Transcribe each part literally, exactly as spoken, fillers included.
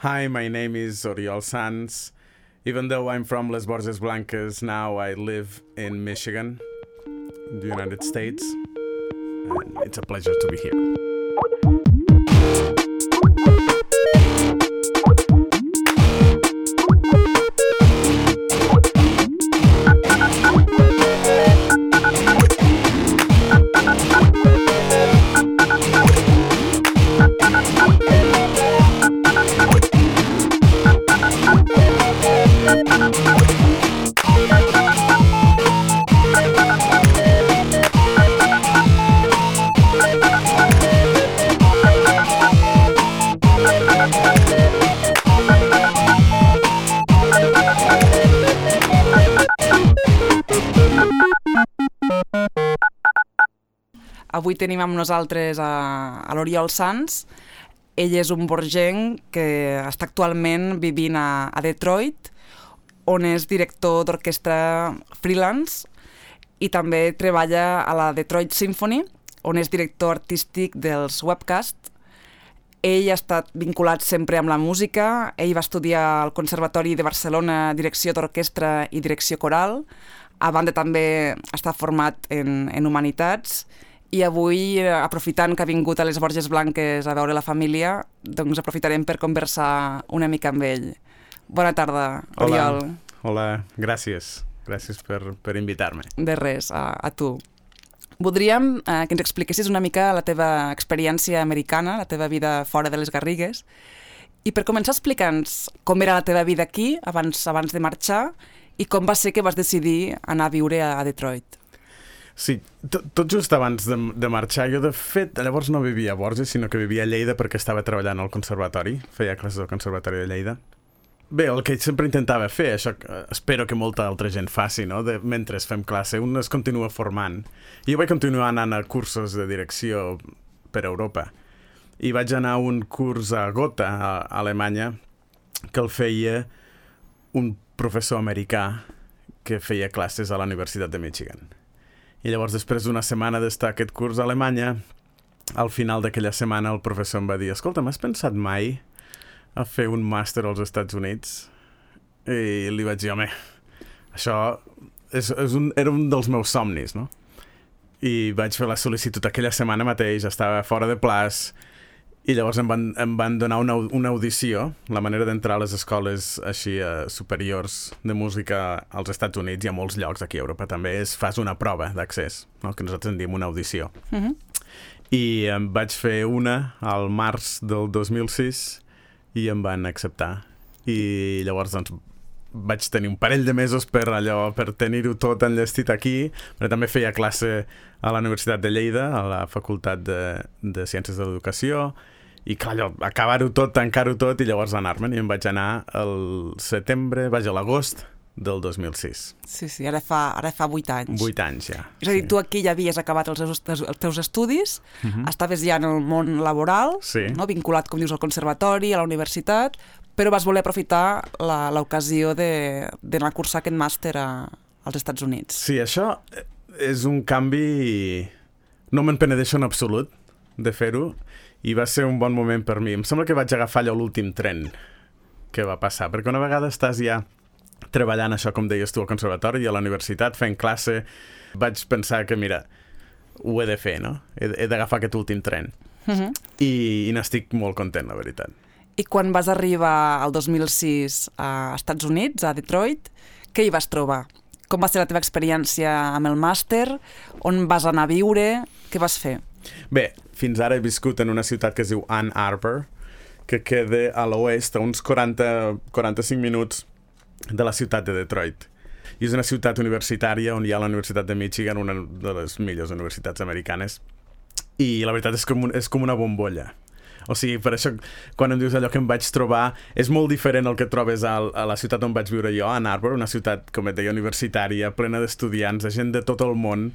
Hi, my name is Oriol Sanz. Even though I'm from Les Borges Blanques, now I live in Michigan, the United States, and it's a pleasure to be here. Avui tenim amb nosaltres a, a l'Oriol Sanz. Ell és un borgenc que està actualment vivint a, a Detroit, on és director d'orquestra freelance i també treballa a la Detroit Symphony, on és director artístic dels webcasts. Ell ha estat vinculat sempre amb la música. Ell va estudiar al Conservatori de Barcelona direcció d'orquestra i direcció coral. A banda també està format en, en humanitats. I avui, aprofitant que ha vingut a les Borges Blanques a veure la família, doncs aprofitarem per conversar una mica amb ell. Bona tarda, Oriol. Hola, hola. Gràcies. Gràcies per, per invitar-me. De res, a, a tu. Voldríem eh, que ens expliquessis una mica la teva experiència americana, la teva vida fora de les Garrigues, i per començar explica'ns com era la teva vida aquí, abans, abans de marxar, i com va ser que vas decidir anar a viure a, a Detroit. Sí, tot, tot just abans de, de marxar, jo de fet, llavors no vivia a Borges, sinó que vivia a Lleida perquè estava treballant al conservatori, feia classes al conservatori de Lleida. Bé, el que sempre intentava fer, això espero que molta altra gent faci, no? De, mentre fem classe, un es continua formant. I jo vaig continuar anant a cursos de direcció per Europa. I vaig anar a un curs a Gotha, a Alemanya, que el feia un professor americà que feia classes a la Universitat de Michigan. I llavors, després d'una setmana d'estar aquest curs a Alemanya, al final d'aquella setmana el professor em va dir: escolta, m'has pensat mai a fer un màster als Estats Units? I li vaig dir: home, això és, és un, era un dels meus somnis, no? I vaig fer la sol·licitud aquella setmana mateix, estava fora de plaç, i llavors em van, em van donar una, una audició, la manera d'entrar a les escoles així eh, superiors de música als Estats Units i a molts llocs aquí a Europa també, és fas una prova d'accés, no? Que nosaltres en diem una audició. Uh-huh. I em vaig fer una al març del dos mil sis i em van acceptar. I llavors doncs vaig tenir un parell de mesos per allò, per tenir-ho tot enllestit aquí, però també feia classe a la Universitat de Lleida, a la Facultat de, de Ciències de l'Educació, i clar, allò, acabar-ho tot, tancar-ho tot i llavors anar-me'n, i em vaig anar al setembre, vaig a l'agost del dos mil sis. Sí, sí, ara fa, ara fa vuit anys. Vuit anys, ja. És a dir, sí. Tu aquí ja havies acabat els, els teus estudis, uh-huh. Estaves ja en el món laboral, sí. No? Vinculat, com dius, al conservatori, a la universitat, però vas voler aprofitar l'ocasió d'anar a cursar aquest màster a, als Estats Units. Sí, això és un canvi... No me'n penedeixo en absolut de fer-ho, i va ser un bon moment per mi. Em sembla que vaig agafar allò l'últim tren que va passar, perquè una vegada estàs ja treballant això, com deies tu, al conservatori i a la universitat, fent classe, vaig pensar que, mira, ho he de fer, no? He, he d'agafar aquest últim tren. Uh-huh. I, i n'estic molt content, la veritat. I quan vas arribar al dos mil sis a Estats Units, a Detroit, què hi vas trobar? Com va ser la teva experiència amb el màster? On vas anar a viure? Què vas fer? Bé, fins ara he viscut en una ciutat que es diu Ann Arbor, que queda a l'oest, a uns quaranta a quaranta-cinc minuts de la ciutat de Detroit. I és una ciutat universitària on hi ha la Universitat de Michigan, una de les millors universitats americanes, i la veritat és com, un, és com una bombolla. O sigui, per això, quan em dius allò que em vaig trobar, és molt diferent el que trobes a, a la ciutat on vaig viure jo, a Ann Arbor, una ciutat, com et deia, universitària, plena d'estudiants, de gent de tot el món.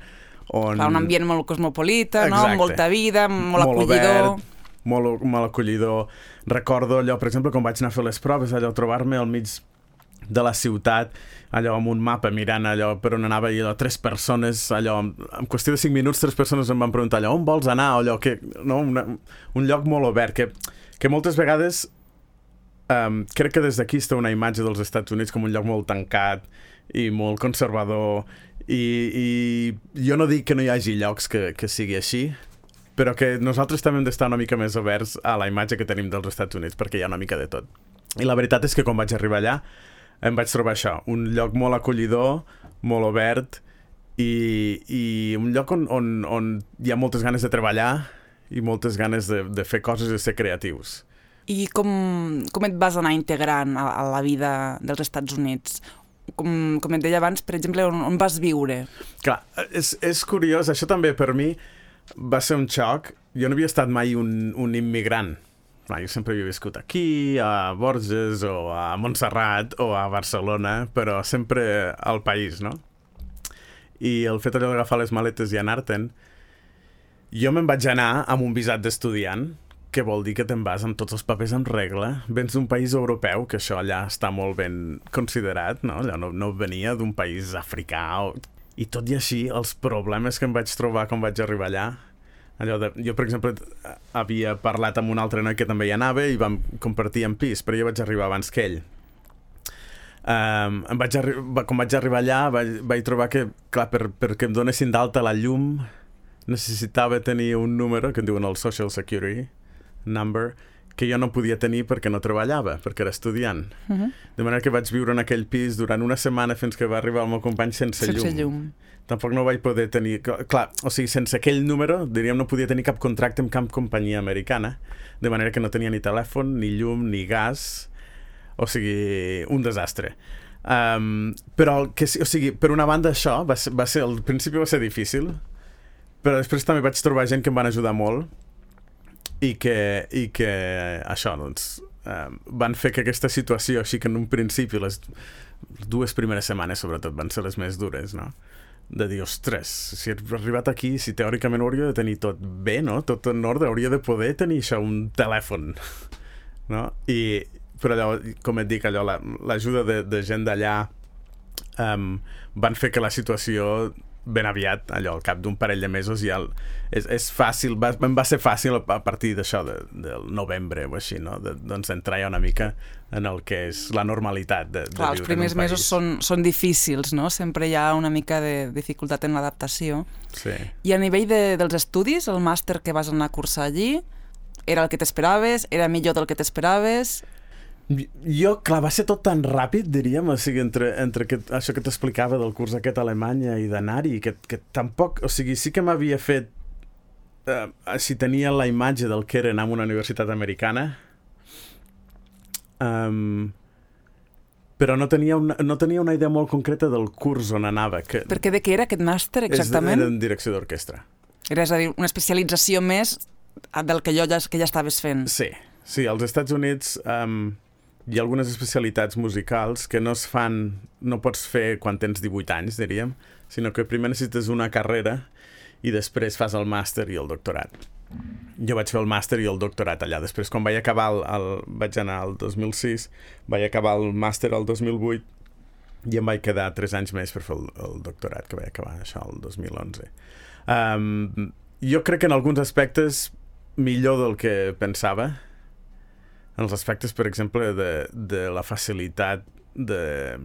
On... Clar, un ambient molt cosmopolita, no? Exacte. Molta vida, molt, molt acollidor. Obert, molt, molt acollidor. Recordo allò, per exemple, quan vaig anar a fer les proves, allò, trobar-me al mig de la ciutat, allò amb un mapa mirant allò per on anava, i allò tres persones, allò en qüestió de cinc minuts tres persones em van preguntar allò, on vols anar? O allò que, no? Una, un lloc molt obert que, que moltes vegades um, crec que des d'aquí està una imatge dels Estats Units com un lloc molt tancat i molt conservador, i, i jo no dic que no hi hagi llocs que, que sigui així, però que nosaltres també hem d'estar una mica més oberts a la imatge que tenim dels Estats Units, perquè hi ha una mica de tot. I la veritat és que quan vaig arribar allà em vaig trobar això, un lloc molt acollidor, molt obert, i, i un lloc on, on, on hi ha moltes ganes de treballar i moltes ganes de, de fer coses i de ser creatius. I com, com et vas anar integrant a, a la vida dels Estats Units? Com, com et deia abans, per exemple, on, on vas viure? Clar, és, és curiós, això també per mi va ser un xoc. Jo no havia estat mai un, un immigrant. Clar, jo sempre havia viscut aquí, a Borges, o a Montserrat, o a Barcelona, però sempre al país, no? I el fet allò d'agafar les maletes i anar-te'n, jo me'n vaig anar amb un visat d'estudiant, que vol dir que te'n vas amb tots els papers en regla. Vens d'un país europeu, que això allà està molt ben considerat, no? Allò no, no venia d'un país africà. O... I tot i així, els problemes que em vaig trobar quan vaig arribar allà, allò de, jo, per exemple, havia parlat amb un altre noi que també hi anava i vam compartir en pis, però jo vaig arribar abans que ell. Um, em vaig quan vaig arribar allà vaig, vaig trobar que, clar, per, perquè em donessin d'alta la llum necessitava tenir un número que en diuen el Social Security Number, que jo no podia tenir perquè no treballava, perquè era estudiant. Uh-huh. De manera que vaig viure en aquell pis durant una setmana fins que va arribar el meu company sense, sense llum. llum. Tampoc no vaig poder tenir... Clar, o sigui, sense aquell número, diríem, no podia tenir cap contracte amb cap companyia americana, de manera que no tenia ni telèfon, ni llum, ni gas, o sigui, un desastre. Um, però, el que, o sigui, per una banda això, va ser, va ser, al principi va ser difícil, però després també vaig trobar gent que em van ajudar molt i que, i que això, doncs, um, van fer que aquesta situació, així que en un principi, les dues primeres setmanes, sobretot, van ser les més dures, no? De dir, ostres, si he arribat aquí, si teòricament hauria de tenir tot bé, no? Tot en ordre, hauria de poder tenir això, un telèfon, no? I, però allò, com et dic, allò, l'ajuda de, de gent d'allà um, van fer que la situació ben aviat, allò, al cap d'un parell de mesos ja el, és, és fàcil, va, va ser fàcil a partir d'això, de, del novembre o així, no? De, doncs entrar ja una mica en el que és la normalitat de, de Clar, viure en un país. Els primers mesos són, són difícils, no? Sempre hi ha una mica de dificultat en l'adaptació. Sí. I a nivell de, dels estudis, el màster que vas anar a cursar allí, era el que t'esperaves? Era millor del que t'esperaves? Jo, clar, va ser tot tan ràpid, diríem, o sigui, entre, entre que, això que t'explicava del curs aquest a Alemanya i d'anar-hi, que, que tampoc, o sigui, sí que m'havia fet, eh, si tenia la imatge del que era anar a una universitat americana, um, però no tenia, una, no tenia una idea molt concreta del curs on anava. Que Perquè de què era aquest màster, exactament? Era en direcció d'orquestra. Era, és a dir, una especialització més del que jo ja, que ja estaves fent. Sí, sí, als Estats Units... Um, hi ha algunes especialitats musicals que no es fan, no pots fer quan tens divuit anys, diríem, sinó que primer necessites una carrera i després fas el màster i el doctorat. Jo vaig fer el màster i el doctorat allà. Després, quan vaig acabar, el, el, vaig anar al dos mil sis, vaig acabar el màster el dos mil vuit i em vaig quedar tres anys més per fer el, el doctorat, que vaig acabar això el dos mil onze. Um, jo crec que en alguns aspectes millor del que pensava, en els aspectes, per exemple, de, de la facilitat de...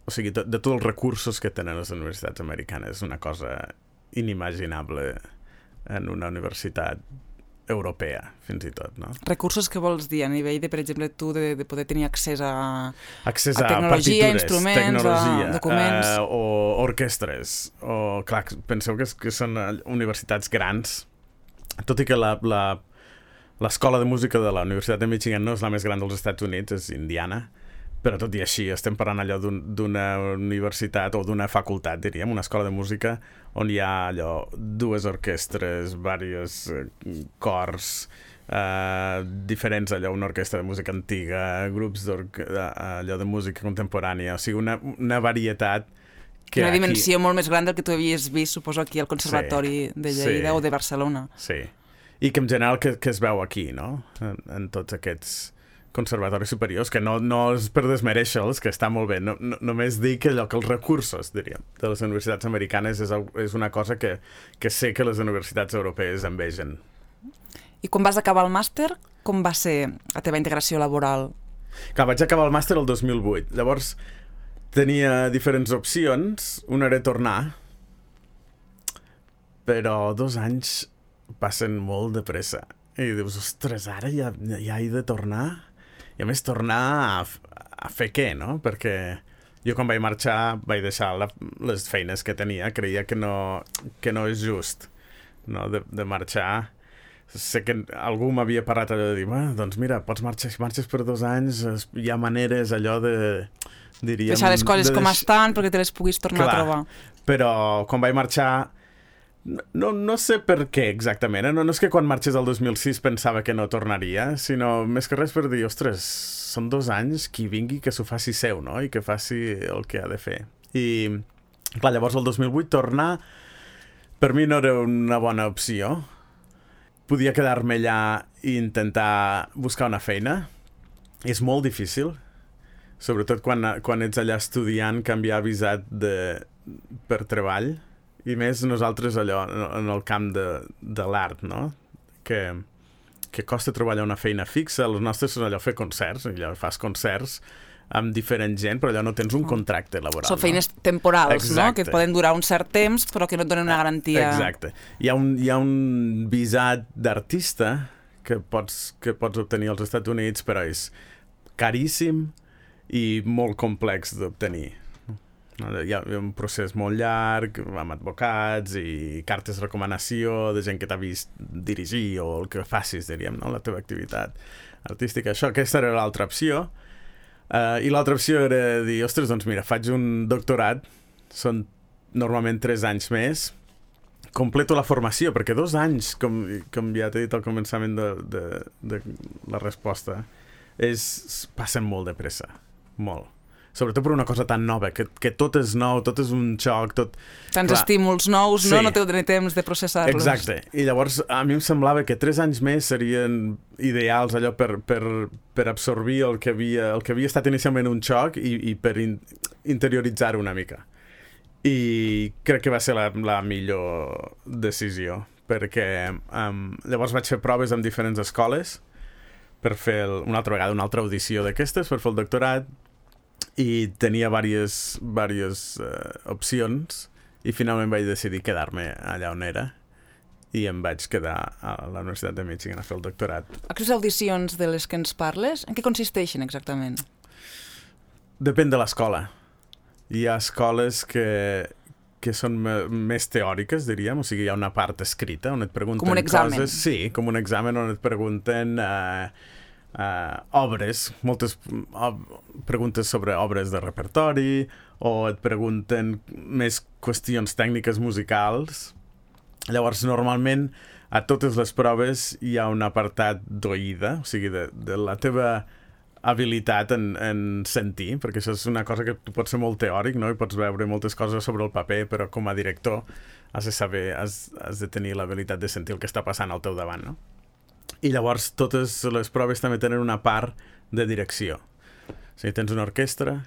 O sigui, de, de tots els recursos que tenen les universitats americanes. És una cosa inimaginable en una universitat europea, fins i tot, no? Recursos que vols dir a nivell de, per exemple, tu de, de poder tenir accés a, accés a tecnologia, a instruments, tecnologia, a documents... Uh, o orquestres. O, clar, penseu que, que són universitats grans, tot i que la... la L'escola de música de la Universitat de Michigan no és la més gran dels Estats Units, és Indiana, però tot i així estem parlant allò d'una universitat o d'una facultat, diríem, una escola de música on hi ha allò dues orquestres, diversos cors, eh, diferents, allò, una orquestra de música antiga, grups allò de música contemporània, o sigui, una, una varietat que una aquí... dimensió molt més gran del que tu havies vist, suposo, aquí al Conservatori sí, de Lleida sí, o de Barcelona. Sí. I que en general que, que es veu aquí, no? En, en tots aquests conservatoris superiors, que no, no és per desmereixer-los, que està molt bé, no, no, només dir que allò que els recursos, diríem, de les universitats americanes és, és una cosa que, que sé que les universitats europees envegen. I quan vas acabar el màster, com va ser la teva integració laboral? Clar, vaig acabar el màster el dos mil vuit. Llavors tenia diferents opcions. Una era tornar, però dos anys passen molt de pressa. I dius, ostres, ara ja, ja he de tornar? I a més tornar a, a fer què, no? Perquè jo quan vaig marxar vaig deixar la, les feines que tenia. Creia que no, que no és just, no? De, de marxar. Sé que algú m'havia parlat allò de dir, doncs mira, pots marxar, si marxes per dos anys, hi ha maneres allò de... Diríem, deixar les coses de com deix... estan perquè te les puguis tornar Clar, a trobar. Però quan vaig marxar, no, no sé per què exactament, eh? no, no és que quan marxés el dos mil sis pensava que no tornaria, sinó més que res per dir, ostres, són dos anys, qui vingui que s'ho faci seu, no? I que faci el que ha de fer. I, clar, llavors el dos mil vuit tornar, per mi no era una bona opció. Podia quedar-me allà i intentar buscar una feina. És molt difícil, sobretot quan, quan ets allà estudiant, canviar visat de, per treball, i més nosaltres allò en el camp de, de l'art, no? Que, que costa treballar una feina fixa. Els nostres són allò fer concerts, allò fas concerts amb diferent gent, però allò no tens un contracte laboral. Són feines no? temporals, Exacte. no? Que poden durar un cert temps, però que no et donen una garantia. Exacte. Hi ha un, hi ha un visat d'artista que pots, que pots obtenir als Estats Units, però és caríssim i molt complex d'obtenir. Hi ha un procés molt llarg, amb advocats i cartes de recomanació de gent que t'ha vist dirigir o el que facis, diríem, no? La teva activitat artística. Això, aquesta era l'altra opció. Uh, I l'altra opció era dir, ostres, doncs mira, faig un doctorat, són normalment tres anys més, completo la formació, perquè dos anys, com, com ja t'he dit al començament de, de, de la resposta, és, passen molt de pressa, molt. Sobretot per una cosa tan nova, que, que tot és nou, tot és un xoc, tot... Tants clar, estímuls nous, sí. no? No teniu temps de processar-los. Exacte. I llavors a mi em semblava que tres anys més serien ideals allò per, per, per absorbir el que, havia, el que havia estat inicialment un xoc i, i per in, interioritzar-ho una mica. I crec que va ser la, la millor decisió, perquè um, llavors vaig fer proves amb diferents escoles per fer el, una altra vegada una altra audició d'aquestes, per fer el doctorat, i tenia diverses, diverses uh, opcions i finalment vaig decidir quedar-me allà on era i em vaig quedar a la Universitat de Michigan a fer el doctorat. Aquestes audicions de les que ens parles, en què consisteixen exactament? Depèn de l'escola. Hi ha escoles que, que són més teòriques, diríem, o sigui, hi ha una part escrita on et pregunten com un examen. coses... Sí, com un examen on et pregunten... Uh, Uh, obres, moltes ob preguntes sobre obres de repertori o et pregunten més qüestions tècniques musicals. Llavors, normalment, a totes les proves hi ha un apartat d'oïda, o sigui, de, de la teva habilitat en, en sentir, perquè això és una cosa que tu pots ser molt teòric, no? I pots veure moltes coses sobre el paper, però com a director has de saber, has, has de tenir l'habilitat de sentir el que està passant al teu davant, no? I llavors totes les proves també tenen una part de direcció. O sigui, tens una orquestra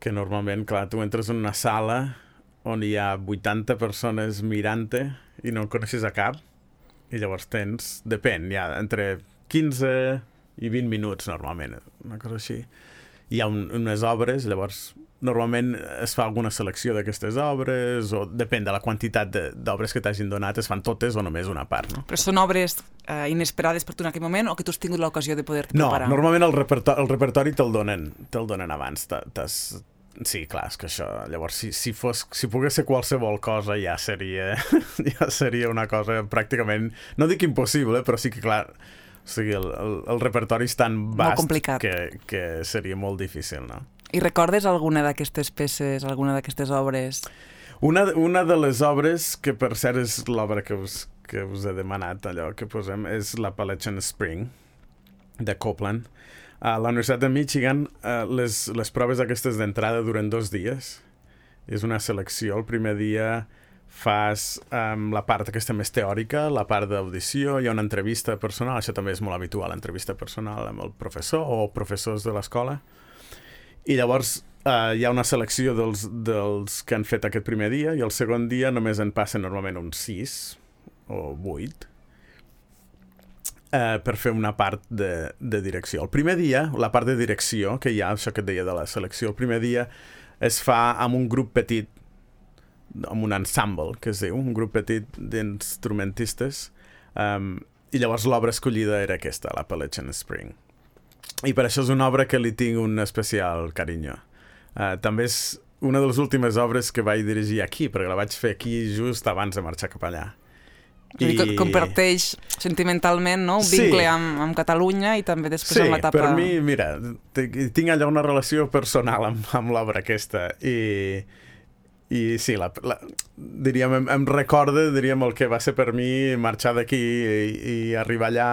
que normalment, clar, tu entres en una sala on hi ha vuitanta persones mirant-te i no en coneixes a cap, i llavors tens, depèn, hi ha entre quinze i vint minuts normalment, una cosa així. Hi ha un, unes obres, llavors normalment es fa alguna selecció d'aquestes obres, o depèn de la quantitat d'obres que t'hagin donat, es fan totes o només una part, no? Però són obres eh, inesperades per tu en aquell moment o que tu has tingut l'ocasió de poder-te no, preparar? No, normalment el repertori, el repertori te'l donen, te'l donen abans. Sí, clar, és que això... Llavors, si, si, fos, si pogués ser qualsevol cosa, ja seria, ja seria una cosa pràcticament... No dic impossible, però sí que, clar... O sigui, el, el, el repertori és tan vast que, que seria molt difícil, no? I recordes alguna d'aquestes peces, alguna d'aquestes obres? Una, una de les obres, que per cert és l'obra que us, que us he demanat, allò que posem, és l'Appalachian Spring, de Copland. A la Universitat de Michigan, uh, les, les proves aquestes d'entrada duren dos dies. És una selecció. El primer dia fas um, la part aquesta més teòrica, la part d'audició, hi ha una entrevista personal, això també és molt habitual, entrevista personal amb el professor o professors de l'escola. I llavors uh, hi ha una selecció dels, dels que han fet aquest primer dia i el segon dia només en passen normalment uns sis o vuit. eh, per fer una part de, de direcció. El primer dia, la part de direcció, que hi ha, això que et deia de la selecció, el primer dia es fa amb un grup petit, amb un ensemble, que es diu, un grup petit d'instrumentistes, um, i llavors l'obra escollida era aquesta, l'Appalachian Spring. I per això és una obra que li tinc un especial carinyo. Uh, també és una de les últimes obres que vaig dirigir aquí, perquè la vaig fer aquí just abans de marxar cap allà. I... que comparteix sentimentalment, no? Un sí. vincle amb, amb Catalunya i també després sí, amb l'etapa... Sí, per mi, mira, tinc allà una relació personal amb, amb l'obra aquesta i, i sí, la, la, diríem, em, em recorda diríem, el que va ser per mi marxar d'aquí i, i arribar allà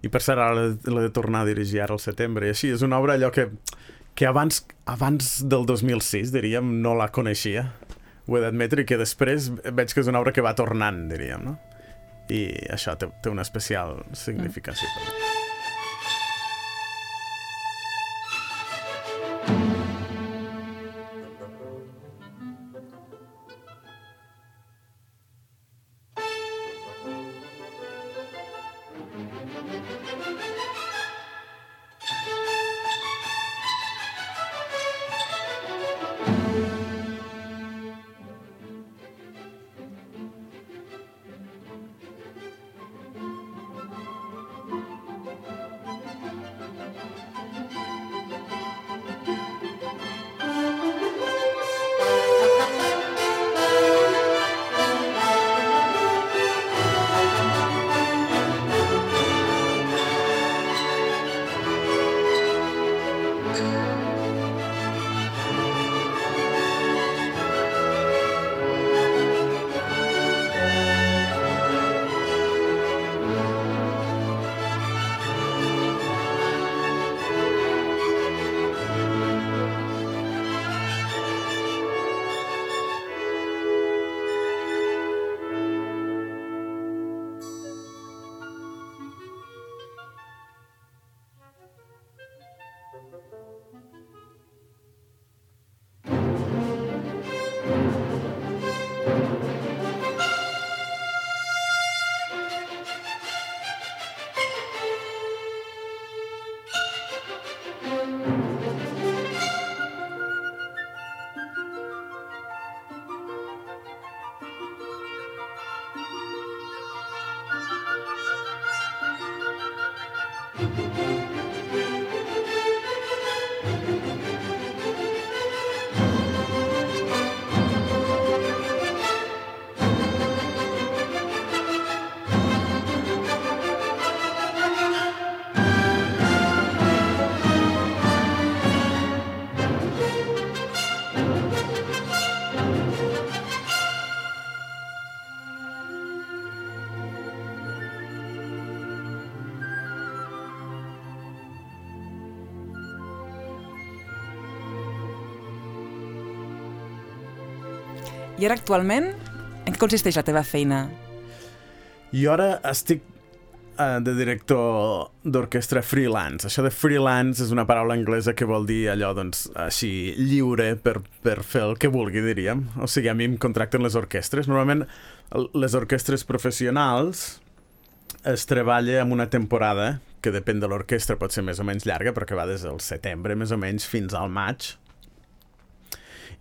i per cert ara l'he de tornar a dirigir ara al setembre i així, és una obra allò que, que abans, abans del dos mil sis, diríem, no la coneixia, ho he d'admetre, i que després veig que és una obra que va tornant, diríem, no? I això té, té una especial significació per mi. I ara actualment, en què consisteix la teva feina? Jo ara estic uh, de director d'orquestra freelance. Això de freelance és una paraula anglesa que vol dir allò, doncs, així, lliure per, per fer el que vulgui, diríem. O sigui, a mi em contracten les orquestres. Normalment, les orquestres professionals es treballa en una temporada que depèn de l'orquestra, pot ser més o menys llarga, perquè va des del setembre, més o menys, fins al maig.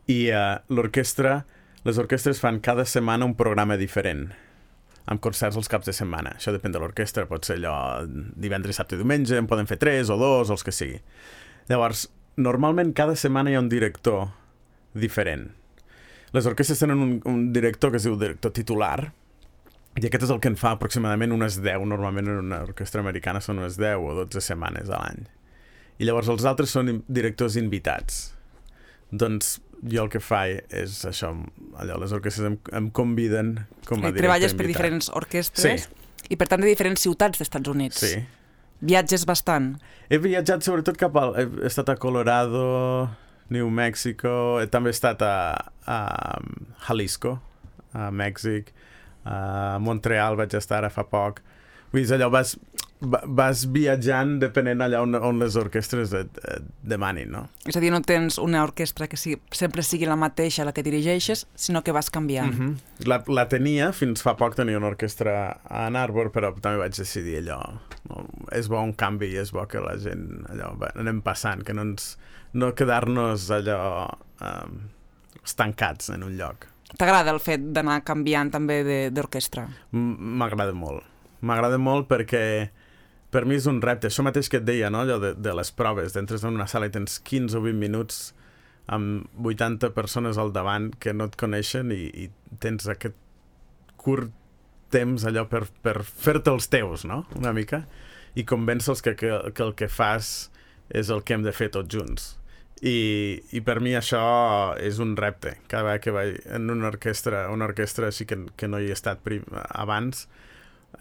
I uh, l'orquestra... Les orquestres fan cada setmana un programa diferent, amb concerts els caps de setmana. Això depèn de l'orquestra, pot ser allò divendres, dissabte i diumenge, en poden fer tres o dos, els que sigui. Llavors, normalment cada setmana hi ha un director diferent. Les orquestres tenen un, un director que es diu director titular, i aquest és el que en fa aproximadament unes deu, normalment en una orquestra americana són unes deu o dotze setmanes a l'any. I llavors els altres són directors invitats. Doncs jo el que faig és això, allò, les orquestres em, em conviden com a director invitat. Treballes per diferents orquestres sí. I per tant de diferents ciutats dels Estats Units. Sí. Viatges bastant. He viatjat sobretot cap al... He estat a Colorado, New Mexico, he també estat a, a Jalisco, a Mèxic, a Montreal vaig estar ara fa poc. Vull dir, allò vas... vas viatjant depenent allà on, on les orquestres et, et demanin, no? És a dir, no tens una orquestra que sigui, sempre sigui la mateixa la que dirigeixes, sinó que vas canviant. Mm-hmm. la, la tenia, fins fa poc tenia una orquestra a Ann Arbor, però també vaig decidir allò, no, és bo un canvi i és bo que la gent allò, va, anem passant, que no, ens, no quedar-nos allò um, estancats en un lloc. T'agrada el fet d'anar canviant també d'orquestra? M'agrada molt. M'agrada molt perquè per mi és un repte. Això mateix que et deia, no? Allò de, de les proves. Entres en una sala i tens quinze o vint minuts amb vuitanta persones al davant que no et coneixen i, i tens aquest curt temps allò per, per fer-te els teus, no? Una mica. I convèncer-los que, que, que el que fas és el que hem de fer tots junts. I, i per mi això és un repte. Cada vegada que vaig en una orquestra, una orquestra així que, que no hi he estat prim, abans,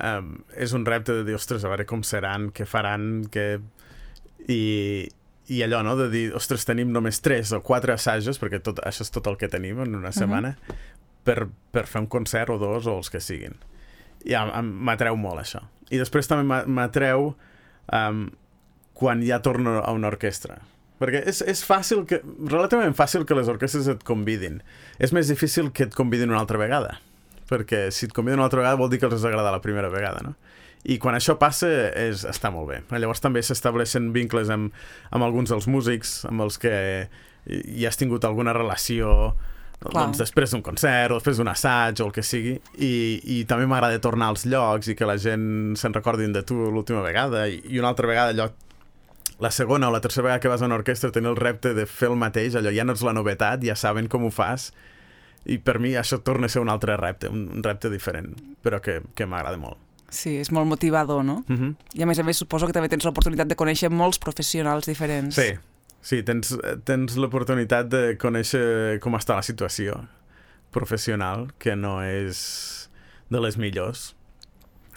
Um, és un repte de dir, ostres, a veure com seran, què faran, què... I, i allò, no?, de dir, ostres, tenim només tres o quatre assajos, perquè tot, això és tot el que tenim en una setmana, uh-huh. per, per fer un concert o dos o els que siguin. I m'atreu molt això. I després també m'atreu um, quan ja torno a una orquestra. Perquè és, és fàcil, que, relativament fàcil que les orquestres et convidin. És més difícil que et convidin una altra vegada. Perquè si et conviden una altra vegada vol dir que els has agradat la primera vegada, no? I quan això passa és, està molt bé. Llavors també s'estableixen vincles amb, amb alguns dels músics, amb els que hi has tingut alguna relació, doncs, després d'un concert o després d'un assaig o el que sigui, i, i també m'agrada tornar als llocs i que la gent se'n recordin de tu l'última vegada, i, i una altra vegada allò, la segona o la tercera vegada que vas a una orquestra tenir el repte de fer el mateix, allò ja no és la novetat, ja saben com ho fas. I per mi això torna a ser un altre repte, un repte diferent, però que, que m'agrada molt. Sí, és molt motivador, no? Uh-huh. I a més a més suposo que també tens l'oportunitat de conèixer molts professionals diferents. Sí, sí, tens, tens l'oportunitat de conèixer com està la situació professional, que no és de les millors.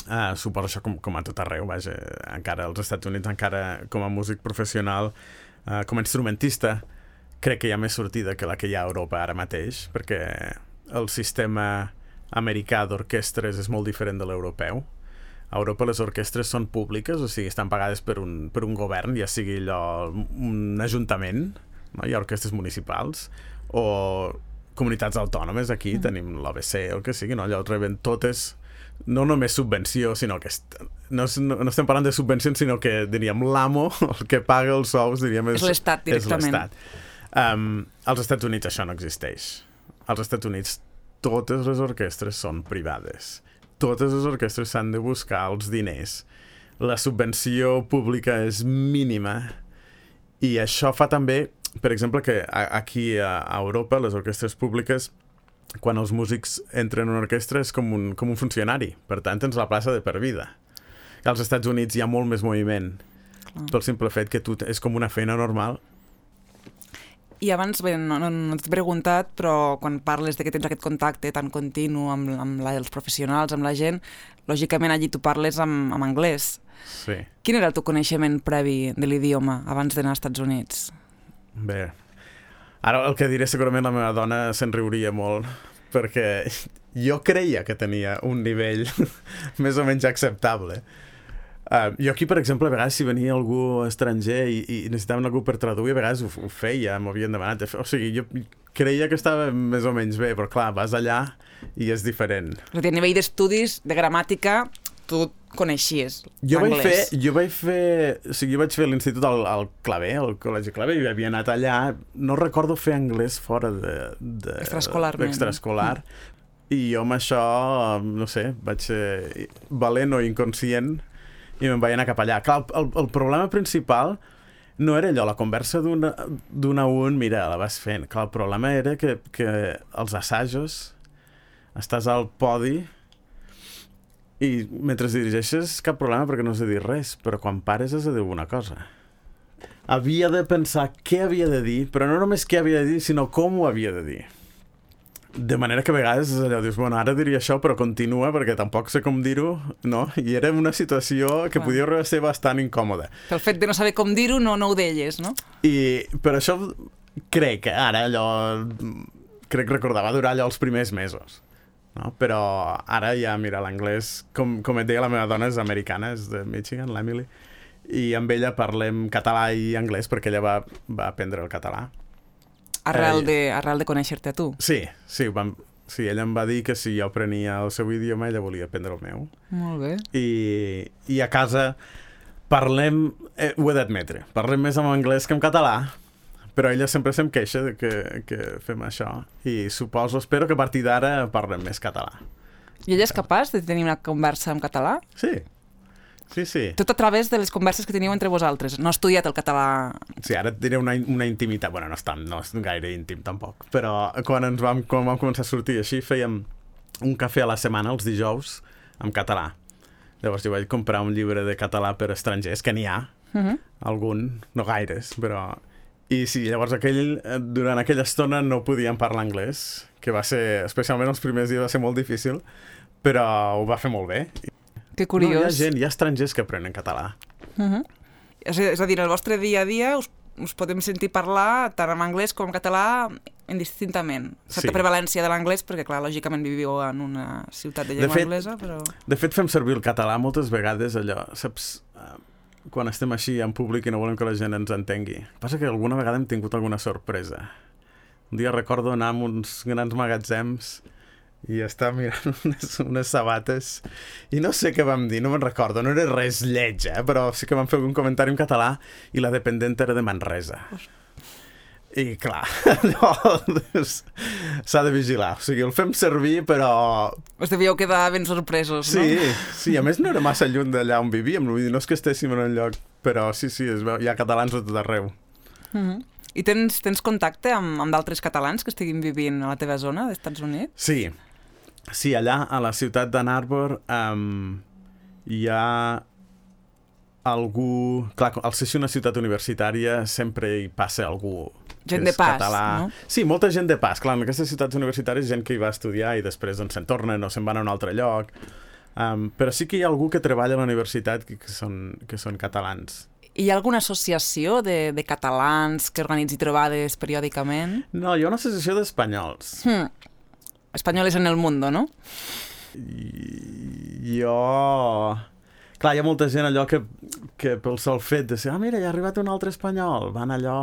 Uh, suposo això com, com a tot arreu, vaja, encara als Estats Units, encara com a músic professional, uh, com a instrumentista, crec que hi ha més sortida que la que hi ha a Europa ara mateix, perquè el sistema americà d'orquestres és molt diferent de l'europeu. A Europa les orquestres són públiques, o sigui, estan pagades per un, per un govern, ja sigui allò, un ajuntament, no? Hi ha orquestres municipals, o comunitats autònomes, aquí mm. tenim l'O B C, el que sigui, no? Allò reben totes, no només subvenció, sinó que est... no, no, no estem parlant de subvencions, sinó que, diríem, l'amo, el que paga els sous, diríem, és, és l'Estat directament. És l'Estat. Um, als Estats Units això no existeix. Als Estats Units totes les orquestres són privades. Totes les orquestres s'han de buscar els diners. La subvenció pública és mínima i això fa també, per exemple, que aquí a Europa les orquestres públiques, quan els músics entren en una orquestra és com un, com un funcionari. Per tant, tens la plaça de per vida. Als Estats Units hi ha molt més moviment pel simple fet que tu és com una feina normal. I abans, bé, no, no, no t'he preguntat, però quan parles de que tens aquest contacte tan continu amb, amb la, els professionals, amb la gent, lògicament allí tu parles amb, amb anglès. Sí. Quin era el teu coneixement previ de l'idioma abans d'anar als Estats Units? Bé, ara el que diré segurament la meva dona se'n riuria molt, perquè jo creia que tenia un nivell més o menys acceptable. Uh, jo aquí, per exemple, a vegades si venia algú estranger i, i necessitaven algú per traduir, a vegades ho, ho feia, m'ho havien demanat. O sigui, jo creia que estava més o menys bé, però clar, vas allà i és diferent. És a dir, a nivell d'estudis, de gramàtica, tu coneixies jo anglès. Vaig fer, jo vaig fer... O sigui, jo vaig fer l'institut al, al Clavé, al Col·legi Clavé, i havia anat allà. No recordo fer anglès fora de... de extraescolarment. Extraescolar. Mm. I jo amb això, no sé, vaig ser valent o inconscient i me'n vaig anar cap allà. Clar, el, el problema principal no era allò, la conversa d'un a un, mira, la vas fent. Clar, el problema era que, que els assajos estàs al podi i mentre dirigeixes cap problema perquè no has de dir res, però quan pares has de dir una cosa. Havia de pensar què havia de dir, però no només què havia de dir, sinó com ho havia de dir. De manera que a vegades allò dius, bueno, ara diria això, però continua, perquè tampoc sé com dir-ho, no? I era una situació que podia ser bastant incòmoda. El fet de no saber com dir-ho no, no ho deies, no? I per això crec que ara allò... Crec recordar, va durar allò els primers mesos. no? Però ara ja, mira, l'anglès, com, com et deia, la meva dona és americana, és de Michigan, l'Emily, i amb ella parlem català i anglès perquè ella va, va aprendre el català. Arrel, eh, de, arrel de conèixer-te a tu. Sí, sí, vam, sí, ella em va dir que si jo aprenia el seu idioma, ella volia aprendre el meu. Molt bé. I, i a casa parlem, eh, ho he d'admetre, parlem més en anglès que en català, però ella sempre se'm queixa de que, que fem això, i suposo, espero que a partir d'ara parlem més català. I ella és capaç de tenir una conversa en català? Sí, sí, sí. Tot a través de les converses que teniu entre vosaltres. No ha estudiat el català... Sí, ara et diré una, una intimitat, bueno, no és, tan, no és gaire íntim tampoc, però quan ens vam, quan vam començar a sortir així, fèiem un cafè a la setmana, els dijous, en català. Llavors jo vaig comprar un llibre de català per estrangers, que n'hi ha, uh-huh. algun, no gaires, però... I sí, llavors aquell, durant aquella estona no podíem parlar anglès, que va ser, especialment els primers dies va ser molt difícil, però ho va fer molt bé. Que curiós. No, hi ha gent, hi ha estrangers que aprenen català. Uh-huh. és, és a dir, el vostre dia a dia us, us podem sentir parlar tant en anglès com en català indistintament. Certa sí. prevalència de l'anglès, perquè clar, lògicament viviu en una ciutat de llengua de fet, anglesa, però... De fet, fem servir el català moltes vegades, allò, saps... quan estem així en públic i no volem que la gent ens entengui. Passa que alguna vegada hem tingut alguna sorpresa. Un dia recordo anar a uns grans magatzems i estar mirant unes, unes sabates i no sé què vam dir, no me'n recordo, no era res lleig, eh? Però sí que vam fer algun comentari en català i la dependent era de Manresa. I clar, no, s'ha de vigilar. O sigui, el fem servir, però... Us devíeu quedar ben sorpresos, sí, no? Sí, sí, a més no era massa lluny d'allà on vivíem, no és que estéssim en un lloc, però sí, sí, es veu, hi ha catalans a tot arreu. Mm-hmm. I tens, tens contacte amb, amb d'altres catalans que estiguin vivint a la teva zona d'Estats Units? Sí, sí, allà a la ciutat d'Ann Arbor um, hi ha algú... Clar, al ser una ciutat universitària sempre hi passa algú... Gent de pas, català. No? Sí, molta gent de pas. Clar, en aquestes ciutats universitàries gent que hi va estudiar i després doncs, se'n tornen o se'n van a un altre lloc. Um, però sí que hi ha algú que treballa a la universitat que, que, són, que són catalans. Hi ha alguna associació de, de catalans que organitzi trobades periòdicament? No, hi ha una associació d'espanyols. Hmm. Espanyoles en el mundo, no? I, jo... Clar, hi ha molta gent allò que, que pel sol fet de ser ah, mira, hi ha arribat un altre espanyol. Van allò...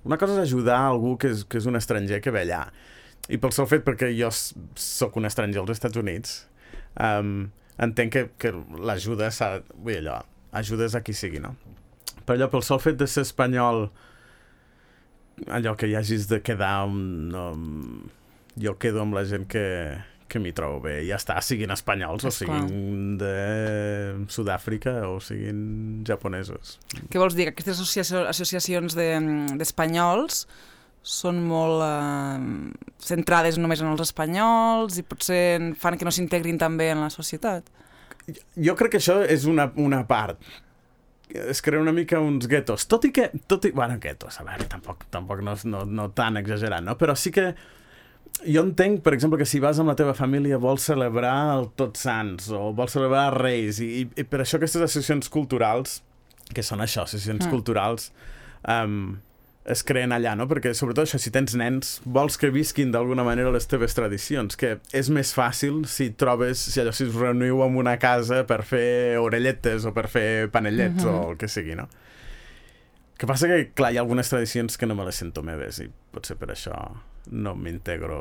Una cosa és ajudar algú que és, que és un estranger que ve allà. I pel sol fet, perquè jo sóc un estranger als Estats Units, um, entenc que, que l'ajuda s'ha... Vull dir, allò, ajudes a qui sigui, no? Però allò, pel sol fet de ser espanyol, allò que hi hagis de quedar... No, jo quedo amb la gent que, que m'hi trobo bé. Ja està, siguin espanyols, o siguin de Sud-àfrica, o siguin japonesos. Què vols dir? Que aquestes associacions, associacions de, d'espanyols són molt eh, centrades només en els espanyols i potser fan que no s'integrin també en la societat? Jo crec que això és una, una part. Es crea una mica uns guetos. Tot i que... Tot i, bueno, guetos, a veure, tampoc, tampoc no, no, no tan exagerat, no? Però sí que jo entenc, per exemple, que si vas amb la teva família vols celebrar el Tots Sants o vols celebrar Reis i, i per això aquestes associacions culturals, que són això, associacions mm. culturals, um, es creen allà, no? Perquè sobretot això, si tens nens, vols que visquin d'alguna manera les teves tradicions, que és més fàcil si trobes, si allò, si us reuniu en una casa per fer orelletes o per fer panellets mm-hmm. o el que sigui, no? Que passa que, clar, hi ha algunes tradicions que no me les sento meves i potser per això no m'integro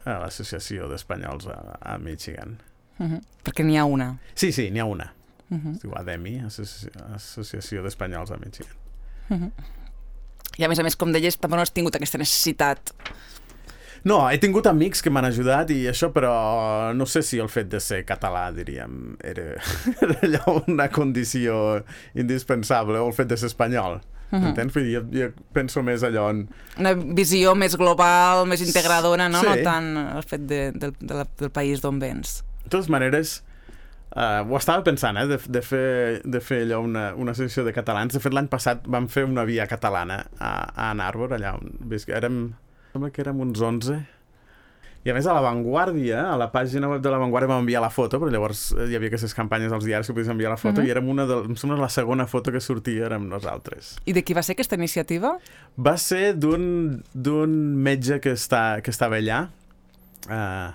a l'associació d'espanyols a, a Michigan. Uh-huh. Perquè n'hi ha una. Sí, sí, n'hi ha una. Uh-huh. Es diu A D E M I, Associ... Associació d'Espanyols a Michigan. Uh-huh. I a més a més, com deies, tampoc no has tingut aquesta necessitat. No, he tingut amics que m'han ajudat i això, però no sé si el fet de ser català, diríem, era, era allò una condició indispensable, o el fet de ser espanyol. Uh-huh. Entens? Jo, jo penso més allò en... Una visió més global, més integradora, no? Sí. No tant el fet de, de, de la, del país d'on vens. De totes maneres, uh, ho estava pensant, eh, de, de, fer, de fer allò una, una associació de catalans. De fet, l'any passat vam fer una via catalana a, a Ann Arbor, allà on érem... Sembla que érem uns onze. I a més a La Vanguardia, a la pàgina web de La Vanguardia vam enviar la foto, però llavors hi havia aquestes campanyes als diaris que podies enviar la foto, uh-huh. i érem una de, em sembla la segona foto que sortia érem nosaltres. I de qui va ser aquesta iniciativa? Va ser d'un d'un metge que, està, que estava allà, uh,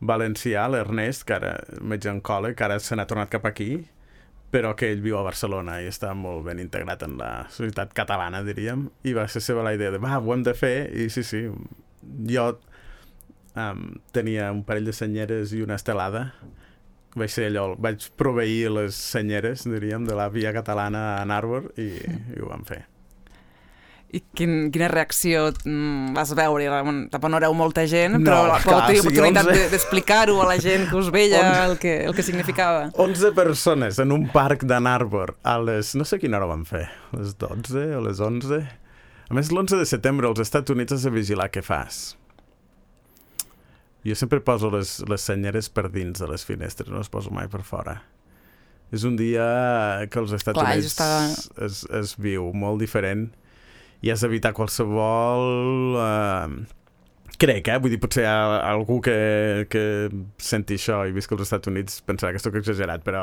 valencià, l'Ernest, que ara metge oncòleg, que ara se n'ha tornat cap aquí, però que ell viu a Barcelona i està molt ben integrat en la societat catalana, diríem, i va ser seva la idea de, va, ho hem de fer, i sí, sí, jo um, tenia un parell de senyeres i una estelada, vaig ser allò, vaig proveir les senyeres, diríem, de la via catalana a Narbor i, i ho vam fer. I quin, quina reacció mm, vas veure? Tampoc no éreu molta gent, no, però clar, tenir o sigui, l'oportunitat onze... d'explicar-ho a la gent que us veia el que, el que significava. onze persones en un parc de Narbor a les... no sé quina hora van fer, a les dotze o les onze. A més, l'onze de setembre als Estats Units has de vigilar què fas. Jo sempre poso les, les senyeres per dins de les finestres, no les poso mai per fora. És un dia que als Estats Clar, Units està... es, es viu molt diferent i has d'evitar qualsevol... Eh, crec, eh? Vull dir, potser hi ha algú que, que senti això i visca als Estats Units pensarà que estic exagerat, però,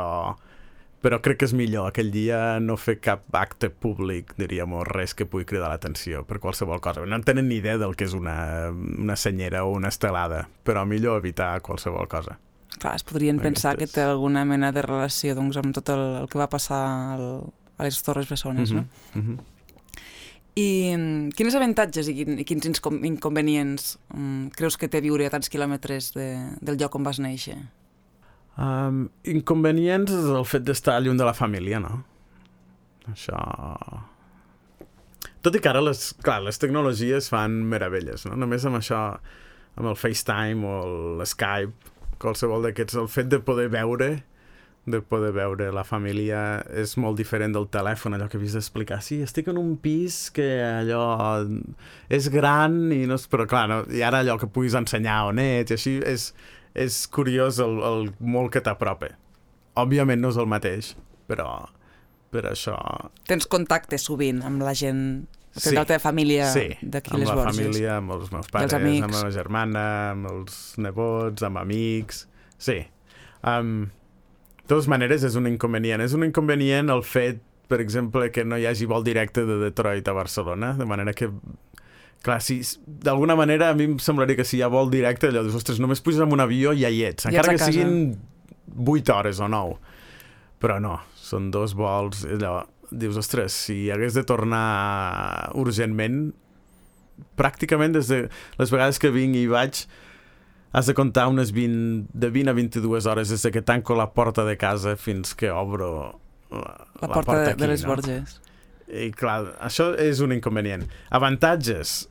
però crec que és millor aquell dia no fer cap acte públic, diríem, o res que pugui cridar l'atenció per qualsevol cosa. No en tenen ni idea del que és una, una senyera o una estelada, però millor evitar qualsevol cosa. Clar, es podrien Aquestes. pensar que té alguna mena de relació doncs, amb tot el, el que va passar al, a les Torres Bessones, mm-hmm, no? Mm-hmm. I quins avantatges i, quin, i quins inconvenients um, creus que té viure a tants quilòmetres de, del lloc on vas néixer? Um, inconvenients és el fet d'estar lluny de la família, no? Això... Tot i que ara les, clar, les tecnologies fan meravelles, no? Només amb això, amb el FaceTime o l'Skype, qualsevol d'aquests, el fet de poder veure de poder veure la família és molt diferent del telèfon, allò que havies d'explicar. Sí, estic en un pis que allò és gran, i no és, però clar, no, i ara allò que puguis ensenyar on ets, i així és, és curiós el, el molt que t'apropa. Òbviament no és el mateix, però per això... Tens contacte sovint amb la gent, sí, de la teva família sí, d'aquí les Borges. Sí, amb la Borges. família, amb els meus pares, amb la meva germana, amb els nebots, amb amics... Sí. Um, de totes maneres, és un inconvenient. És un inconvenient el fet, per exemple, que no hi hagi vol directe de Detroit a Barcelona, de manera que, clar, si, d'alguna manera a mi em semblaria que si hi ha vol directe, allò dius, ostres, només puges en un avió i ja hi ets, encara que siguin vuit hores o nou. Però no, són dos vols, allò, dius, ostres, si hagués de tornar urgentment, pràcticament des de les vegades que vinc i vaig, has de comptar unes vint, de vint a vint-i-dues hores des que tanco la porta de casa fins que obro la, la, la porta, porta de, aquí, de les no? Borges. I clar, això és un inconvenient. Avantatges?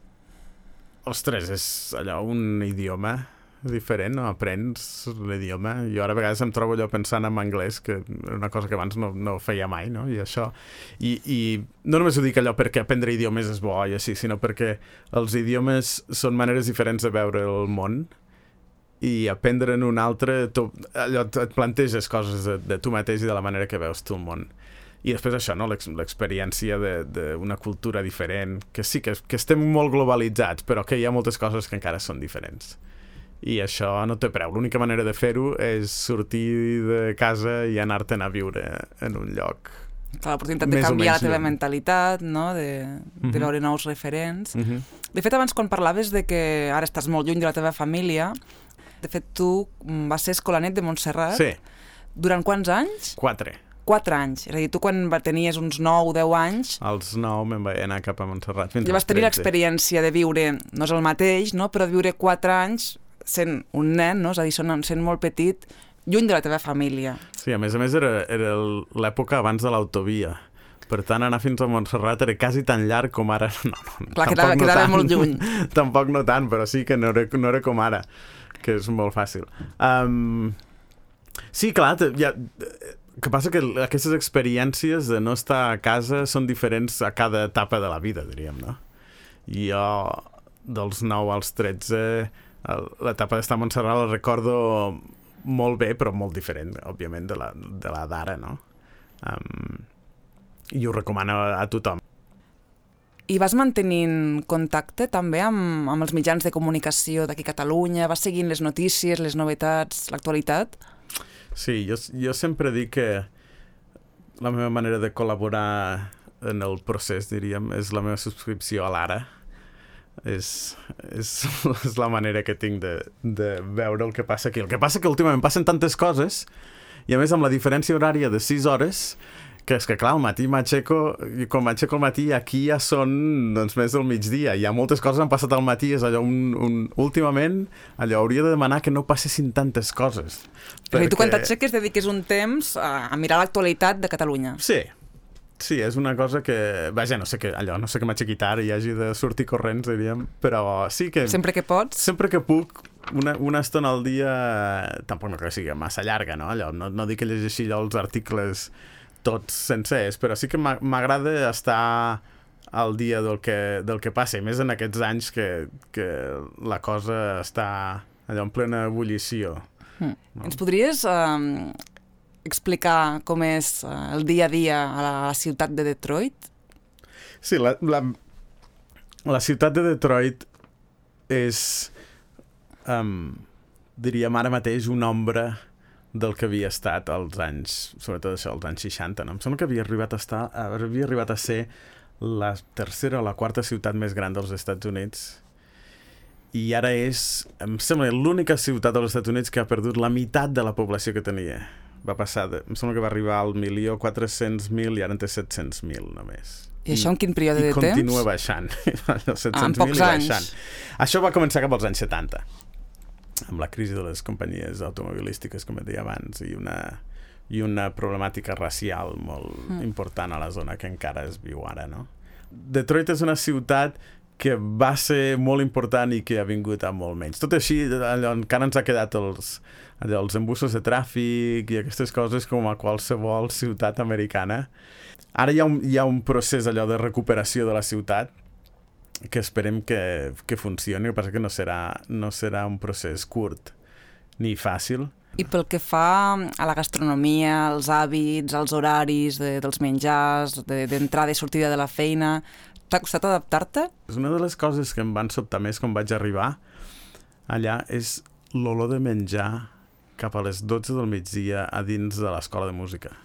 Ostres, és allò, un idioma diferent, no? Aprens l'idioma. Jo ara a vegades em trobo allò pensant en anglès, que era una cosa que abans no, no feia mai, no? I això... I, I no només ho dic allò perquè aprendre idiomes és bo i així, sinó perquè els idiomes són maneres diferents de veure el món, i aprendre en un altre, tu, allò, et planteges coses de, de tu mateix i de la manera que veus tu el món. I després això, no? L'experiència d'una cultura diferent, que sí, que, que estem molt globalitzats, però que hi ha moltes coses que encara són diferents. I això no té preu. L'única manera de fer-ho és sortir de casa i anar-te'n a viure en un lloc. L'oportunitat de canviar la teva mentalitat, no? de, de uh-huh. veure nous referents. Uh-huh. De fet, abans quan parlaves de que ara estàs molt lluny de la teva família, de fet, tu vas ser escolanet de Montserrat. Sí. Durant quants anys? Quatre. Quatre anys. És a dir, tu quan tenies uns nou o deu anys... Als nou me'n vaig anar cap a Montserrat fins als tretze. Vas tenir l'experiència de viure, no és el mateix, no? Però de viure quatre anys sent un nen, no? És a dir, sent molt petit, lluny de la teva família. Sí, a més a més era, era l'època abans de l'autovia. Per tant, anar fins a Montserrat era quasi tan llarg com ara. No, no, Clar, quedava, no quedava tant. molt lluny. Tampoc no tant, però sí que no era, no era com ara, que és molt fàcil. Um, sí, clar, ja, que passa que aquestes experiències de no estar a casa són diferents a cada etapa de la vida, diríem, no? I jo, dels nou als tretze, l'etapa d'estar a Montserrat la recordo molt bé, però molt diferent, òbviament, de la, de la d'ara, no? Um, I ho recomano a, a tothom. I vas mantenint contacte també amb, amb els mitjans de comunicació d'aquí a Catalunya? Vas seguint les notícies, les novetats, l'actualitat? Sí, jo, jo sempre dic que la meva manera de col·laborar en el procés, diríem, és la meva subscripció a l'Ara. És, és, és la manera que tinc de, de veure el que passa aquí. El que passa que últimament passen tantes coses, i a més amb la diferència horària de sis hores, que és que clar, al matí m'aixeco, i quan m'aixeco al matí aquí ja són doncs, més del migdia, hi ha moltes coses que han passat al matí, és allò un, un... últimament allò hauria de demanar que no passessin tantes coses. Perquè... I tu quan t'aixeques dediques un temps a, a mirar l'actualitat de Catalunya. Sí, sí, és una cosa que... Vaja, no sé que allò, no sé que m'aixequi tard i hagi de sortir corrents, diríem, però sí que... Sempre que pots? Sempre que puc, una, una estona al dia, tampoc no que sigui massa llarga, no? Allò, no, no dic que llegeixi allò els articles tots sencers, però sí que m'agrada estar al dia del que, del que passa, i més en aquests anys que, que la cosa està allò en plena ebullició. Mm. No? Ens podries eh, explicar com és eh, el dia a dia a la, a la ciutat de Detroit? Sí, la, la, la ciutat de Detroit és, um, diríem ara mateix, una ombra del que havia estat als anys, sobretot això, als anys seixanta, no? Em sembla que havia arribat a estar, havia arribat a ser la tercera o la quarta ciutat més gran dels Estats Units, i ara és, em sembla, l'única ciutat dels Estats Units que ha perdut la meitat de la població que tenia. Va passar, de, em sembla que va arribar al milió quatre-cents mil i ara en té set-cents mil només. I això en quin període de temps? I continua baixant. set-cents ah, en pocs anys. Baixant. Això va començar cap als anys setanta. Amb la crisi de les companyies automobilístiques, com et deia abans, i una, i una problemàtica racial molt mm. important a la zona que encara es viu ara, no? Detroit és una ciutat que va ser molt important i que ha vingut a molt menys. Tot així, allò, encara ens ha quedat els, allò, els embussos de tràfic i aquestes coses com a qualsevol ciutat americana. Ara hi ha un, hi ha un procés allò de recuperació de la ciutat que esperem que, que funcioni, el que passa que no serà, no serà un procés curt ni fàcil. I pel que fa a la gastronomia, als hàbits, als horaris de, dels menjars, d'entrada de, i sortida de la feina, t'ha costat adaptar-te? És una de les coses que em van sobtar més quan vaig arribar allà, és l'olor de menjar cap a les dotze del migdia a dins de l'escola de música.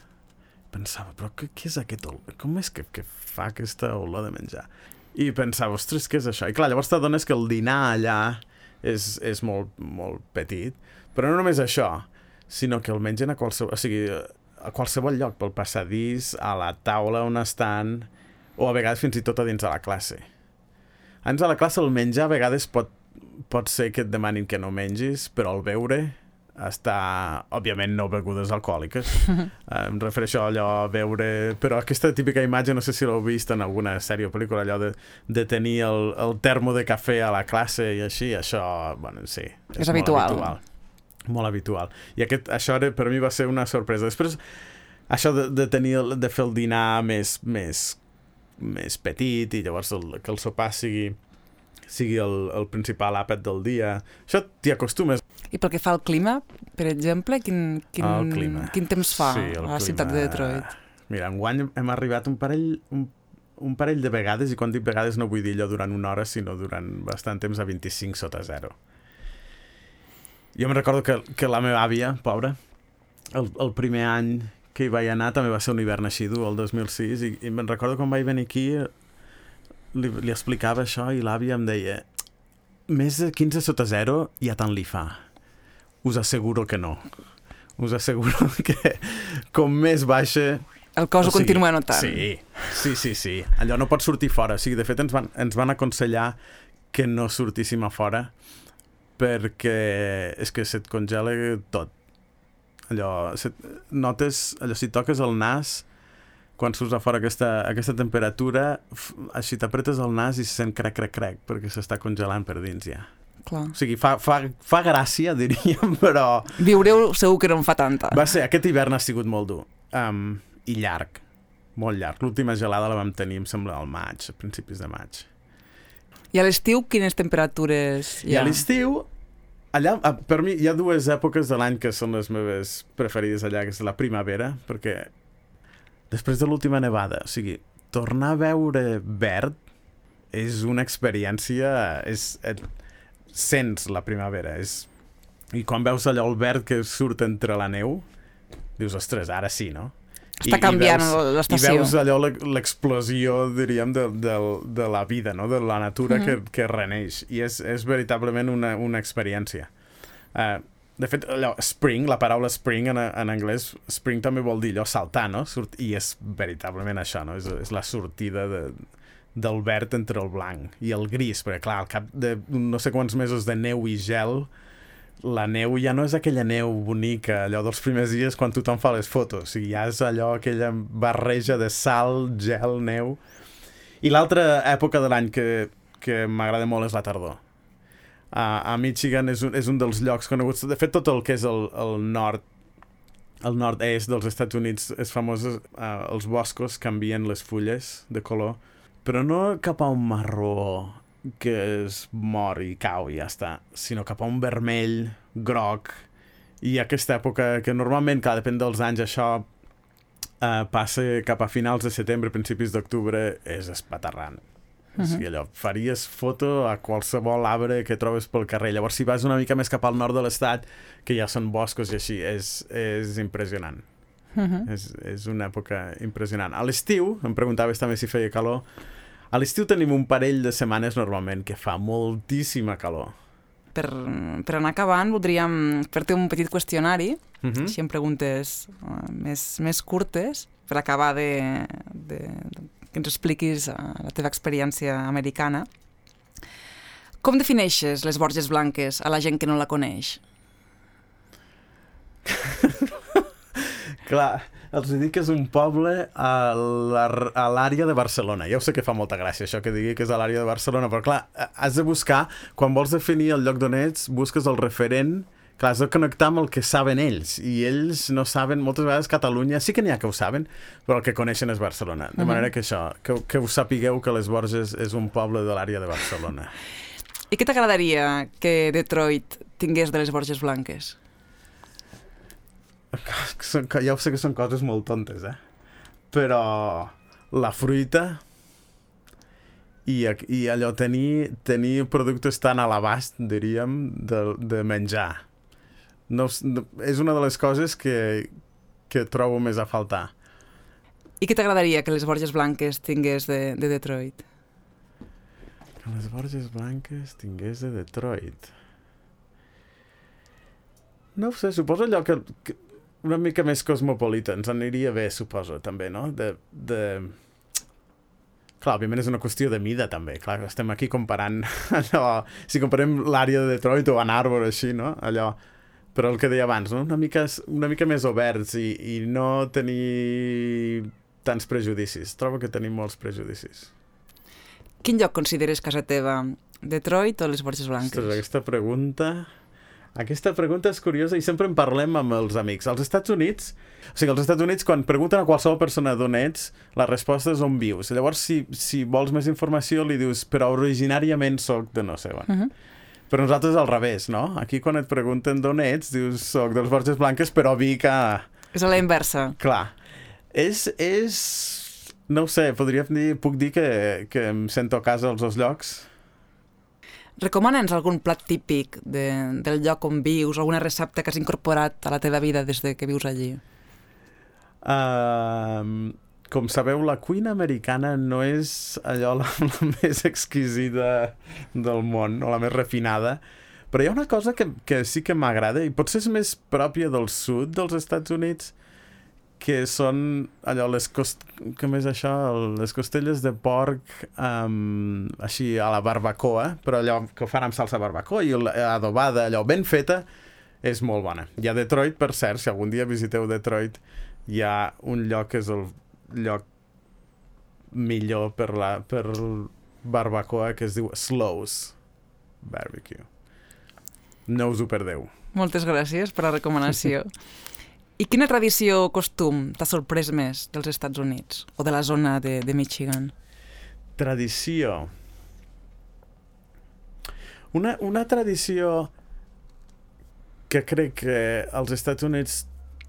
Pensava, però què, què és aquest olor? Com és que, que fa aquesta olor de menjar? I pensava, ostres, què és això? I clar, llavors t'adones que el dinar allà és, és molt, molt petit, però no només això, sinó que el mengen a qualsevol, o sigui, a qualsevol lloc, pel passadís, a la taula on estan, o a vegades fins i tot a dins de la classe. Dins de la classe el menjar a vegades pot, pot ser que et demanin que no mengis, però el beure està, òbviament, no begudes alcohòliques. Em refereixo a allò a veure... Però aquesta típica imatge, no sé si l'heu vist en alguna sèrie o pel·lícula, allò de, de tenir el, el termo de cafè a la classe i així, això, bueno, sí. És, és habitual. Molt habitual. Molt habitual. I aquest, això era, per mi va ser una sorpresa. Després, això de, de tenir, de fer el dinar més, més, més petit i llavors el, que el sopar sigui... sigui el, el principal àpat del dia. Això t'hi acostumes. I pel que fa al clima, per exemple, quin, quin, quin temps fa sí, a la clima... ciutat de Detroit? Mira, enguany hem arribat un parell, un, un parell de vegades, i quan dic vegades no vull dir allò durant una hora, sinó durant bastant temps a vint-i-cinc sota zero. Jo me'n recordo que, que la meva àvia, pobra, el, el primer any que hi vaig anar també va ser un hivern així dur, el dos mil sis, i, i me'n recordo quan vaig venir aquí... Li, li explicava això i l'àvia em deia més de quinze sota zero ja tant li fa. Us asseguro que no. Us asseguro que com més baixa... El cos o ho continua notant. Sí, sí, sí, sí. Allò no pot sortir fora. O sigui, de fet, ens van, ens van aconsellar que no sortíssim a fora perquè és que se't congela tot. Allò, set, notes, allò, si toques el nas... quan surts a fora aquesta, aquesta temperatura, així t'apretes el nas i se sent crec, crec, crec, perquè s'està congelant per dins ja. Clar. O sigui, fa, fa, fa gràcia, diríem, però... Viureu segur que no en fa tanta. Va ser, aquest hivern ha sigut molt dur. Um, I llarg, molt llarg. L'última gelada la vam tenir, em sembla, al maig, a principis de maig. I a l'estiu, quines temperatures hi ha? I a l'estiu, allà, per mi, hi ha dues èpoques de l'any que són les meves preferides allà, que és la primavera, perquè... Després de l'última nevada, o sigui, tornar a veure verd és una experiència... És, et, sents la primavera. És, I quan veus allò el verd que surt entre la neu, dius, ostres, ara sí, no? Està canviant l'estació. I veus allò, l'explosió, diríem, de, de, de la vida, no? De la natura mm. que, que reneix. I és, és veritablement una, una experiència. Uh, de fet, allò, spring, la paraula spring en, en anglès, spring també vol dir allò saltar, no? Surt, I és veritablement això, no? És, és la sortida de, del verd entre el blanc i el gris, perquè clar, al cap de no sé quants mesos de neu i gel, la neu ja no és aquella neu bonica, allò dels primers dies quan tothom fa les fotos, i ja és allò, aquella barreja de sal, gel, neu. I l'altra època de l'any que, que m'agrada molt és la tardor. A, a Michigan és un, és un dels llocs coneguts, de fet tot el que és el, el nord, el nord-est dels Estats Units és famós, uh, els boscos canvien les fulles de color, però no cap a un marró que es mor i cau i ja està, sinó cap a un vermell, groc, i aquesta època que normalment, clar, depèn dels anys, això eh, passa cap a finals de setembre, principis d'octubre, és espaterrant. Uh-huh. O sigui, allò, faries foto a qualsevol arbre que trobes pel carrer. Llavors, si vas una mica més cap al nord de l'estat, que ja són boscos i així, és, és impressionant. Uh-huh. És, és una època impressionant. A l'estiu, em preguntaves també si feia calor, a l'estiu tenim un parell de setmanes normalment que fa moltíssima calor. Per, per anar acabant, voldríem fer-te un petit qüestionari, uh-huh. així amb preguntes uh, més, més curtes, per acabar de, de, de que ens expliquis uh, la teva experiència americana. Com defineixes les Borges Blanques a la gent que no la coneix? Clar, els dic que és un poble a l'àrea de Barcelona. Ja ho sé que fa molta gràcia això que digui que és a l'àrea de Barcelona, però clar, has de buscar, quan vols definir el lloc d'on ets, busques el referent, clar, has de connectar amb el que saben ells, i ells no saben, moltes vegades Catalunya, sí que n'hi ha que ho saben, però el que coneixen és Barcelona. De manera que això, que, que us sapigueu que les Borges és un poble de l'àrea de Barcelona. I què t'agradaria que Detroit tingués de les Borges Blanques? Ja ho sé que són coses molt tontes, eh? Però la fruita i, i allò, tenir, tenir productes tan a l'abast, diríem, de, de menjar. No, és una de les coses que, que trobo més a faltar. I què t'agradaria que les Borges Blanques tingués de, de Detroit? Que les Borges Blanques tingués de Detroit? No ho sé, suposo allò que... que una mica més cosmopolita, ens aniria bé, suposo, també, no? De, de... Clar, òbviament és una qüestió de mida, també. Clar, estem aquí comparant allò... Si comparem l'àrea de Detroit o Ann Arbor, així, no? Allò... Però el que deia abans, no? Una mica, una mica més oberts i, i no tenir tants prejudicis. Trobo que tenim molts prejudicis. Quin lloc consideres casa teva? Detroit o les Borges Blanques? Ostres, aquesta pregunta... Aquesta pregunta és curiosa i sempre en parlem amb els amics. Als Estats Units, o sigui, als Estats Units, quan pregunten a qualsevol persona d'on ets, la resposta és on vius. Llavors, si, si vols més informació, li dius, però originàriament soc de no sé on. Uh-huh. Però nosaltres al revés, no? Aquí quan et pregunten d'on ets, dius, soc dels Borges Blanques, però vic a... És a la inversa. Clar. És... és... No ho sé, podríem dir, puc dir que, que em sento a casa als dos llocs. Recomana'ns algun plat típic de, del lloc on vius, alguna recepta que has incorporat a la teva vida des de que vius allí? Uh, com sabeu, la cuina americana no és allò la, la més exquisida del món, o la més refinada, però hi ha una cosa que, que sí que m'agrada, i potser és més pròpia del sud dels Estats Units, que són allò, les cost... com és això? Les costelles de porc um, així a la barbacoa, però allò que ho fan amb salsa barbacoa i adobada, allò ben feta, és molt bona. I a Detroit, per cert, si algun dia visiteu Detroit, hi ha un lloc que és el lloc millor per la per barbacoa, que es diu Slows Barbecue. No us ho perdeu. Moltes gràcies per la recomanació. I quina tradició o costum t'ha sorprès més dels Estats Units o de la zona de, de Michigan? Tradició. Una, una tradició que crec que als Estats Units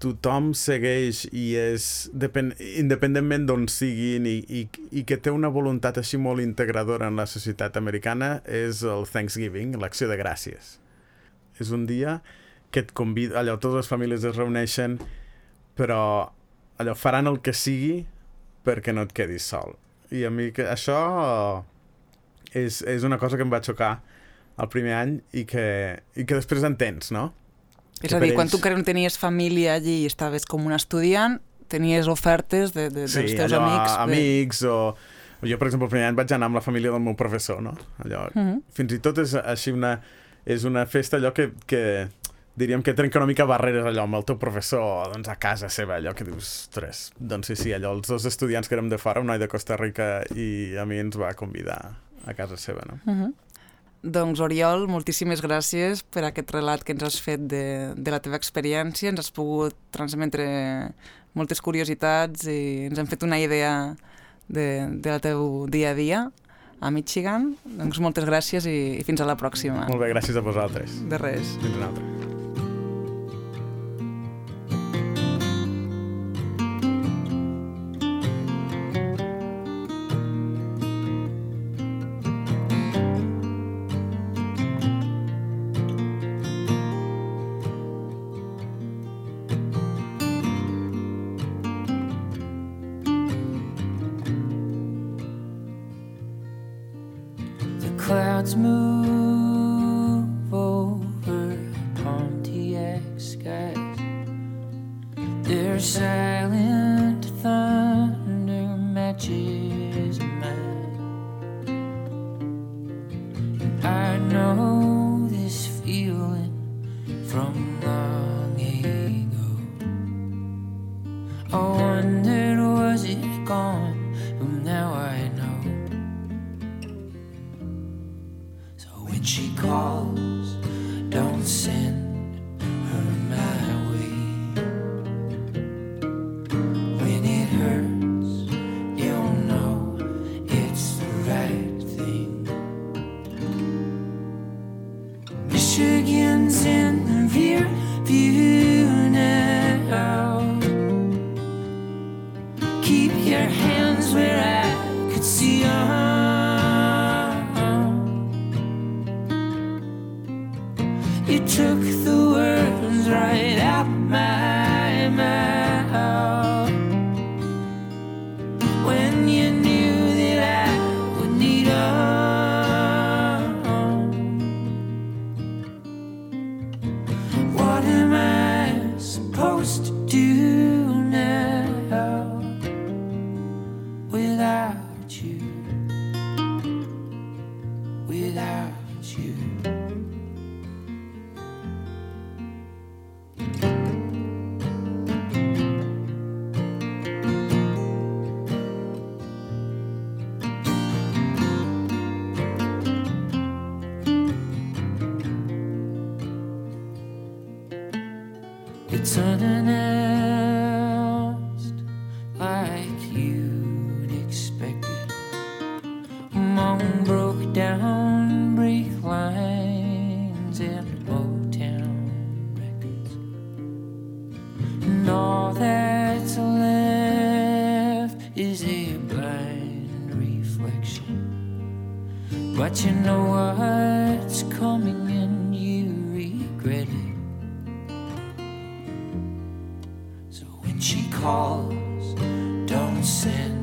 tothom segueix i és depèn, independentment d'on siguin i, i, i que té una voluntat així molt integradora en la societat americana és el Thanksgiving, l'acció de gràcies. És un dia que et convida, allò, totes les famílies es reuneixen, però allò, faran el que sigui perquè no et quedis sol. I a mi que això és, és una cosa que em va xocar el primer any i que, i que després entens, no? És a dir, quan tu encara no tenies família allí i estaves com un estudiant, tenies ofertes de, de, sí, dels teus allò, amics. Sí, amics o... Jo, per exemple, el primer any vaig anar amb la família del meu professor, no? Allò, mm-hmm. Fins i tot és així una... És una festa allò que, que diríem que trenca una mica barreres allò amb el teu professor, doncs a casa seva, allò que dius, ostres, doncs sí, sí, allò, els dos estudiants que érem de fora, un noi de Costa Rica i a mi ens va convidar a casa seva, no? Mm-hmm. Doncs, Oriol, moltíssimes gràcies per aquest relat que ens has fet de, de la teva experiència. Ens has pogut transmetre moltes curiositats i ens hem fet una idea de, de la teu dia a dia a Michigan. Doncs moltes gràcies i, i fins a la pròxima. Molt bé, gràcies a vosaltres. De res. Fins una altra. Clouds move over Pontiac skies. Their silent thunder matches mine. I know this feeling from long ago. I wondered, was it gone? But now I know. When she calls, don't send her my way. When it hurts, you'll know it's the right thing. Michigan's in the rear view now. Keep your hands where I could see them. You took the words right out my mouth when you knew that I would need them. What am I supposed to do now without you? Without you. It's unannounced, like you'd expected, among broke down brake lines and Motown records. And all that's left is a blind reflection. But you know what's coming and you regret it. She calls, don't send